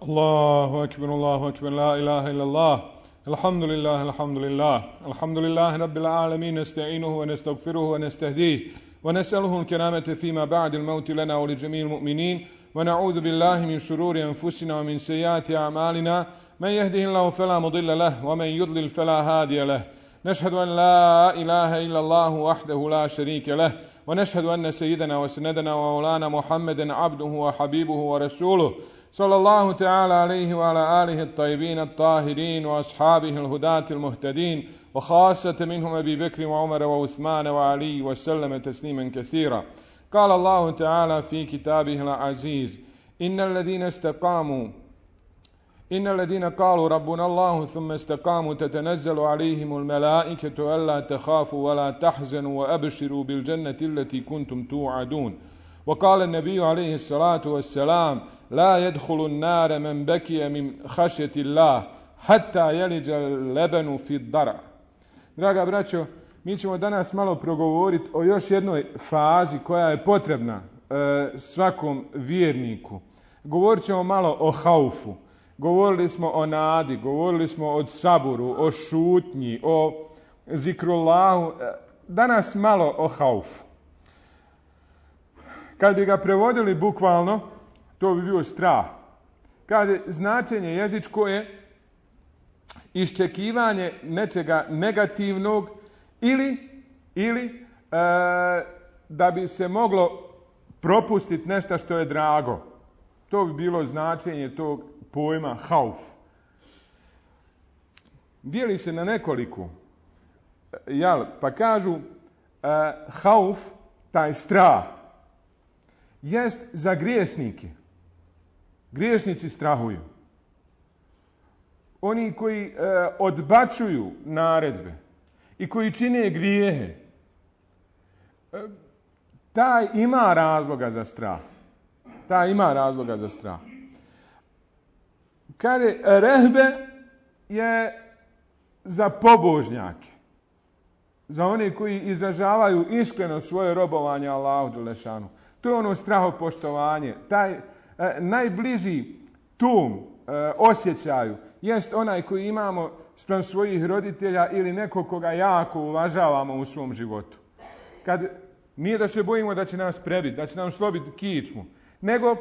الله أكبر لا إله إلا الله الحمد لله رب العالمين نستعينه ونستغفره ونستهديه ونسأله الكرامة فيما بعد الموت لنا ولجميع المؤمنين ونعوذ بالله من شرور أنفسنا ومن سيئات أعمالنا من يهده الله فلا مضل له ومن يضلل فلا هادي له نشهد أن لا إله إلا الله وحده لا شريك له ونشهد أن سيدنا وسندنا ومولانا محمدا عبده وحبيبه ورسوله صلى الله تعالى عليه وعلى آله الطيبين الطاهرين وأصحابه الهداة المهتدين وخاصة منهم أبي بكر وعمر وعثمان وعلي وسلم تسليما كثيرا. قال الله تعالى في كتابه العزيز إن الذين قالوا ربنا الله ثم استقاموا تتنزل عليهم الملائكة ألا تخافوا ولا تحزنوا وأبشروا بالجنة التي كنتم توعدون. وقال النبي عليه الصلاة والسلام لا يدخل النار من بكي من خشية الله حتى يلج اللبن في الضرع. Draga braćo, mi ćemo danas malo progovoriti o još jednoj fazi koja je potrebna svakom vjerniku. Govorit ćemo malo o haufu. Govorili smo o nadi, govorili smo o saburu, o šutnji, o zikrullahu. Danas malo o haufu. Kad bi ga prevodili bukvalno, to bi bio strah. Kaže, značenje jezičko je iščekivanje nečega negativnog ili da bi se moglo propustiti nešto što je drago. To bi bilo značenje tog pojma hauf. Dijeli se na nekoliko. Pa kažu hauf, taj strah, jest za grijesnike. Griješnici strahuju. Oni koji odbacuju naredbe i koji čine grijehe, taj ima razloga za strah. Kaže, rehbe je za pobožnjake, za one koji izražavaju iskreno svoje robovanje Allahu dželešanu. To je ono strahopoštovanje. Taj najbliži tom osjećaju jest onaj koji imamo spram svojih roditelja ili nekog koga jako uvažavamo u svom životu. Kad nije da se bojimo da će nas prebiti, da će nam slobiti kičmu, nego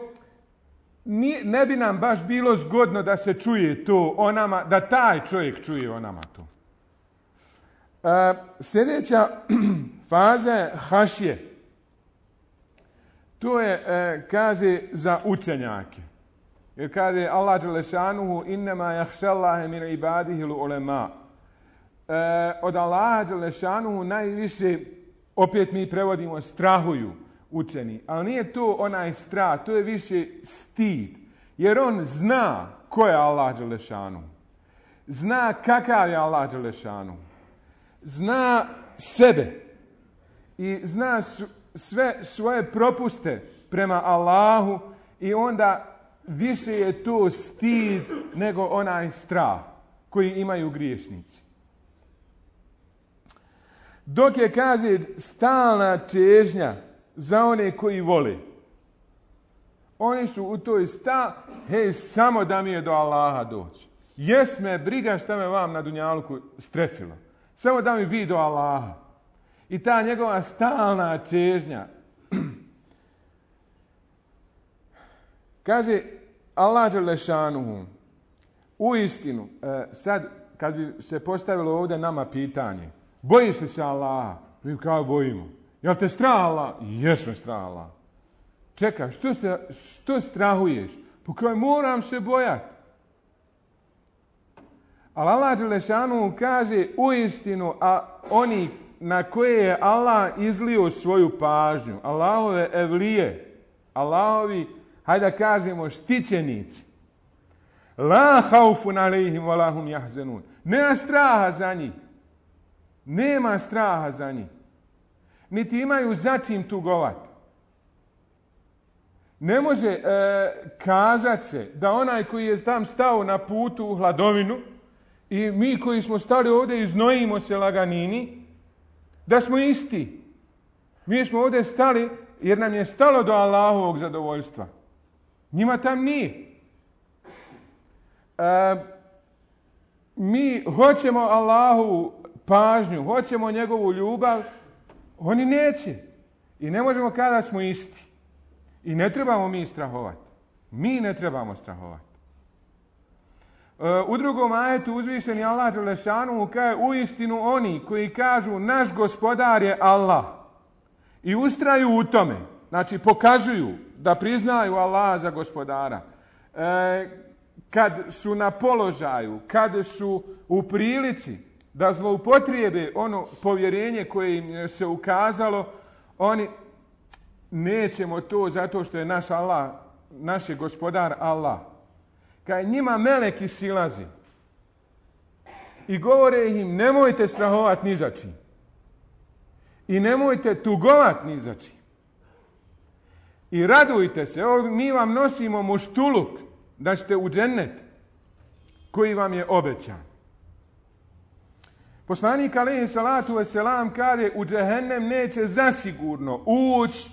ne bi nam baš bilo zgodno da se čuje to o nama, da taj čovjek čuje o nama to. Sljedeća faza je hašje. To je, kaže, za učenjake. Jer kaže Allah dželešanuhu innema jahšallahe min ibadihi l'ulema. Od Allaha dželešanuhu najviše, opet mi prevodimo, strahuju učeni. Ali nije to onaj strah, to je više stid. Jer on zna ko je Allah dželešanuhu. Zna kakav je Allah dželešanuhu. Zna sebe. I zna sve svoje propuste prema Allahu i onda više je to stid nego onaj strah koji imaju griješnici. Dok je, kaže, stalna težnja za one koji vole. Oni su u toj samo da mi je do Allaha doći. Jes me briga šta me vam na dunjaluku strefilo. Samo da mi bi do Allaha. I ta njegova stalna težnja. Kaže Allah dželešanuhu, u istinu, sad kad bi se postavilo ovdje nama pitanje, bojiš li se Allaha? Mi kao bojimo. Jel te strah Allah? Jes me strah Allah. Čekaj, što strahuješ? Po kojoj moram se bojati. Ali Allah dželešanuhu kaže u istinu, a oni na koje je Allah izlio svoju pažnju, Allahove evlije, Allahovi, hajde da kažemo, štićenici. La haufun alejhim wa lahum jahzenun. Nema straha za njih. Niti imaju za čim tugovati. Ne može kazat se da onaj koji je tam stao na putu u hladovinu i mi koji smo stali ovdje i znojimo se laganini, da smo isti. Mi smo ovdje stali jer nam je stalo do Allahovog zadovoljstva. Njima tam nije. Mi hoćemo Allahu pažnju, hoćemo njegovu ljubav, oni neće. I ne možemo kada da smo isti. I ne trebamo mi strahovati. Mi ne trebamo strahovati. U drugom ajetu uzvišeni Allah dželešanu kaže uistinu oni koji kažu naš gospodar je Allah i ustraju u tome, znači pokazuju da priznaju Allaha za gospodara, kad su na položaju, kad su u prilici da zloupotrijebe ono povjerenje koje im se ukazalo, oni nećemo to zato što je naš Allah, naš je gospodar Allah. Kad njima meleki silazi i govore im nemojte strahovati ni za čim i nemojte tugovati ni za čim i radujte se, evo mi vam nosimo muštuluk da ćete u džennet koji vam je obećan. Poslanik alejhi salatu vesselam kaže u džehennem neće zasigurno ući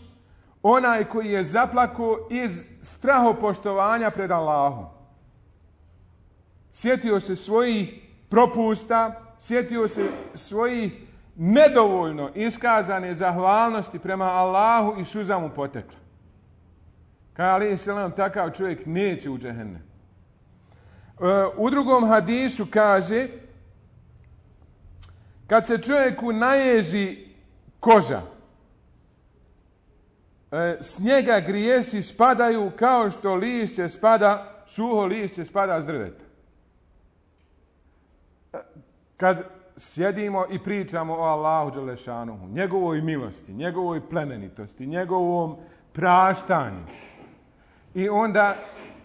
onaj koji je zaplakao iz strahopoštovanja pred Allahom. Sjetio se svojih propusta, sjetio se svojih nedovoljno iskazane zahvalnosti prema Allahu i suza mu potekla. Kaže alejhi selam takav čovjek neće u džehennem. U drugom hadisu kaže kad se čovjeku naježi koža, s njega grijesi spadaju kao što lišće spada, suho lišće spada s drveta. Kad sjedimo i pričamo o Allahu dželešanuhu, njegovoj milosti, njegovoj plemenitosti, njegovom praštanju i onda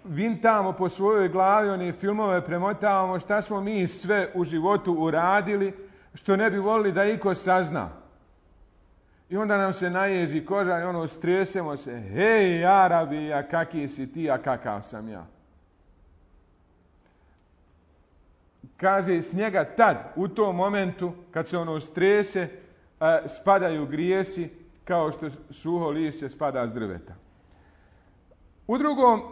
vintamo po svojoj glavi, one filmove premotavamo šta smo mi sve u životu uradili što ne bi volili da iko sazna. I onda nam se naježi koža i ono stresemo se. Hej, Arabi, a kaki si ti, a kakav sam ja. Kaže, s njega tad, u tom momentu, kad se ono strese, spadaju grijesi kao što suho lišće spada s drveta. U drugom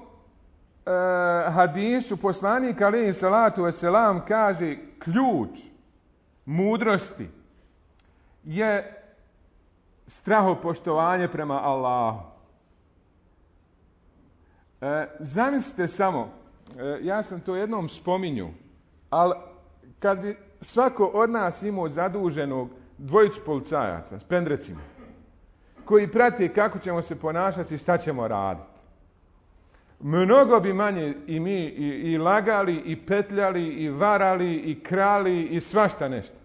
hadisu poslanik alejhi salatu vesselam kaže ključ mudrosti je strahopoštovanje prema Allahu. Zamislite samo, ja sam to jednom spominjao, ali kad bi svako od nas imao zaduženog dvojicu policajaca s pendrecima, koji prate kako ćemo se ponašati, šta ćemo raditi. Mnogo bi manje i mi i lagali, i petljali, i varali, i krali, i svašta nešto.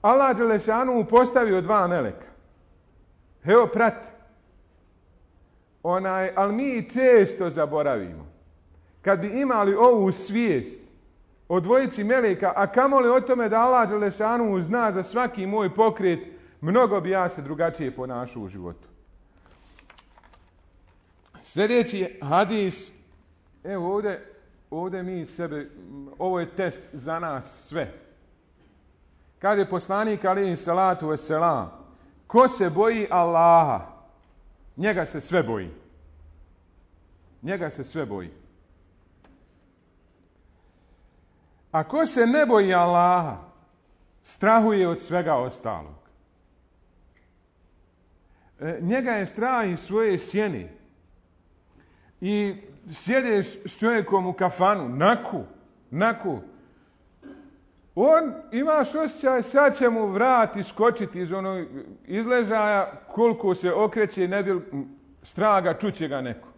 Allah dželešanu postavio dva meleka. Evo, prati. Ali mi često zaboravimo. Kad bi imali ovu svijest o dvojici meleka, a kamoli o tome da Allah dželešanu zna za svaki moj pokret, mnogo bi ja se drugačije ponašao u životu. Sljedeći hadis, evo ovdje mi sebe, ovo je test za nas sve. Kaže poslanik alejhi salatu vesselam, ko se boji Allaha, njega se sve boji. Njega se sve boji. A ko se ne boji Allaha, strahuje od svega ostalog. Njega je strah iz svoje sjene. I sjedeš s čovjekom u kafanu, naku. On, imaš osjećaj, sad će mu vrat iskočiti iz onog izležaja, koliko se okreće, ne bi straga, čuće ga neko.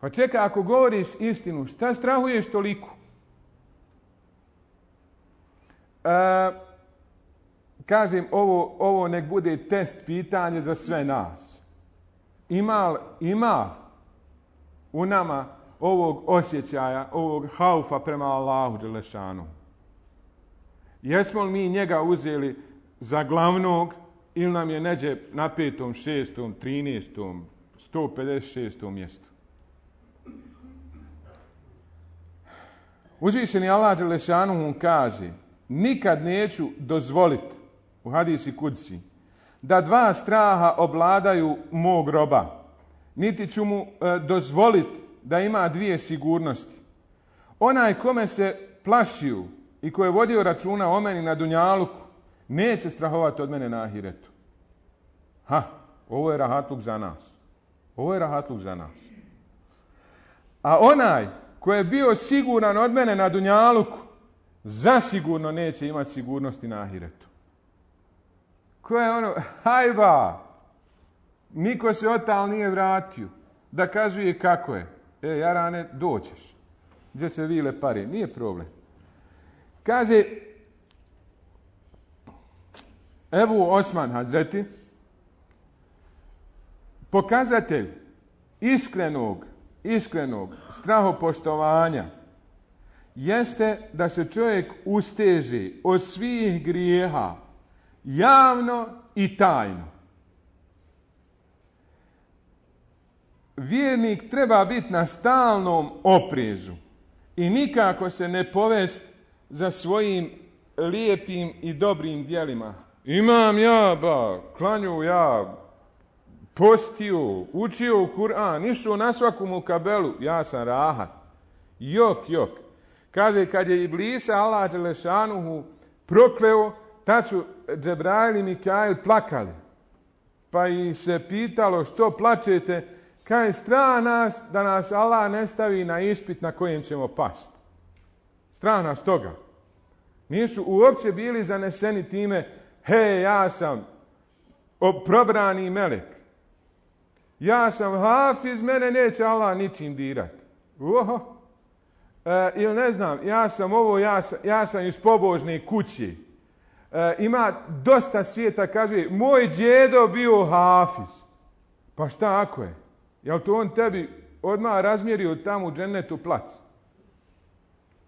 Pa čekaj, ako govoriš istinu, šta strahuješ toliko? Kažem, ovo nek bude test pitanje za sve nas. Ima u nama ovog osjećaja, ovog haufa prema Allahu dželešanu? Jesmo li mi njega uzeli za glavnog ili nam je neđe na 5., 6., 13., 156. mjestu? Uzvišeni Allah dželešanu mu kaže, nikad neću dozvoliti, u hadisi kudsi, da dva straha obladaju mog roba, niti ću mu dozvoliti da ima dvije sigurnosti. onaj kome se plašio i ko je vodio računa o meni na dunjaluku, neće strahovati od mene na ahiretu. Ovo je rahatluk za nas. Ovo je rahatluk za nas. A onaj ko je bio siguran od mene na dunjaluku, zasigurno neće imati sigurnosti na ahiretu. Ko je ono, hajba, niko se otal nije vratio, da kazuje kako je. Jarane, doćeš. Gdje se vile pare, nije problem. Kaže, Ebu Osman Hazreti, pokazatelj iskrenog strahopoštovanja jeste da se čovjek usteže od svih grijeha javno i tajno. Vjernik treba biti na stalnom oprezu i nikako se ne povest za svojim lijepim i dobrim djelima. Imam ja, klanju ja, postio, učio Kur'an, išao na svaku mukabelu, ja sam rahat. Jok. Kaže, kad je Iblisa Allah dželešanuhu prokleo, tad su Džebrail i Mikail plakali. Pa ih se pitalo što plačete, kaže, strah nas da nas Allah ne stavi na ispit na kojem ćemo pasti. Strah nas toga. Nisu uopće bili zaneseni time, ja sam probrani melek. Ja sam hafiz, mene neće Allah ničim dirati. Ili ne znam, ja sam ovo, ja sam iz pobožne kuće. Ima dosta svijeta, kaže, moj djedo bio hafiz. Pa šta ako je? Jel to on tebi odmah razmjerio tamo u džennetu plac?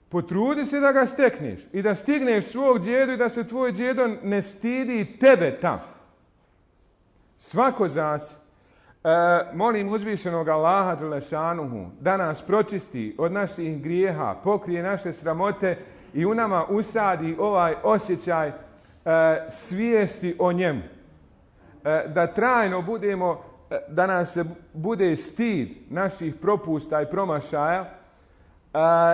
Potrudi se da ga stekneš i da stigneš svog djedu i da se tvoj djedo ne stidi tebe tamo. Svako zasi. Molim uzvišenog Allaha dželešanuhu da nas pročisti od naših grijeha, pokrije naše sramote i u nama usadi ovaj osjećaj svijesti o njemu. Da trajno budemo, da nas se bude stid naših propusta i promašaja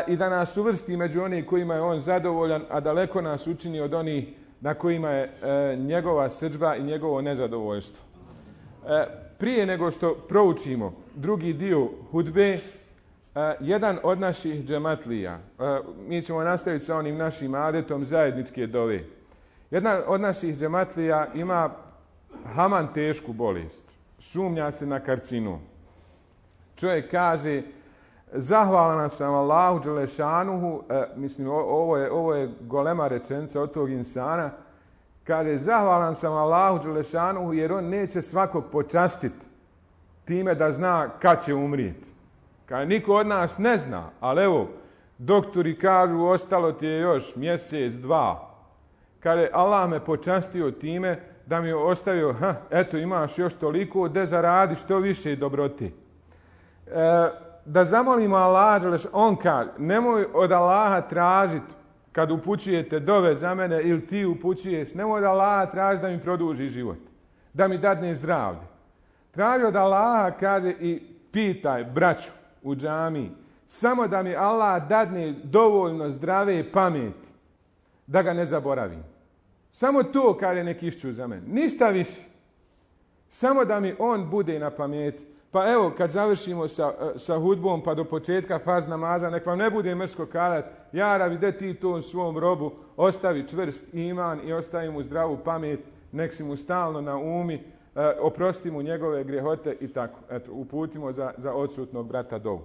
i da nas uvrsti među onih kojima je on zadovoljan, a daleko nas učini od onih na kojima je njegova srdžba i njegovo nezadovoljstvo. Prije nego što proučimo drugi dio hudbe, jedan od naših džematlija, mi ćemo nastaviti sa onim našim adetom zajedničke dove. Jedan od naših džematlija ima haman tešku bolest. Sumnja se na karcinom. Čovjek kaže, zahvalan sam Allahu dželešanuhu, mislim ovo je golema rečenica od tog insana, kaže, zahvalan sam Allahu dželešanuhu jer on neće svakog počastiti time da zna kad će umrijeti. Kaže, niko od nas ne zna, ali evo, doktori kažu ostalo ti je još mjesec, dva. Kaže, Allah me počastio time da mi je ostavio, eto imaš još toliko, da zaradi što više dobrote. Da zamolimo Allah, on kaže, nemoj od Allaha tražiti kad upućujete dove za mene ili ti upućuješ, nemoj od Allaha tražiti da mi produži život, da mi dadne zdravlje. Traži od Allaha, kaže, i pitaj braću u džamiji, samo da mi Allah dadne dovoljno zdrave pameti, da ga ne zaboravim. Samo to, kaže, nek išću za mene. Ništa više. Samo da mi on bude na pameti. Pa evo, kad završimo sa hudbom pa do početka farz namaza, nek vam ne bude mrsko kalat, ja rabi, de ti to svom robu, ostavi čvrst iman i ostavi mu zdravu pamet, nek si mu stalno na umi, oprosti mu njegove grijehote i tako. Eto, uputimo za odsutnog brata dovu.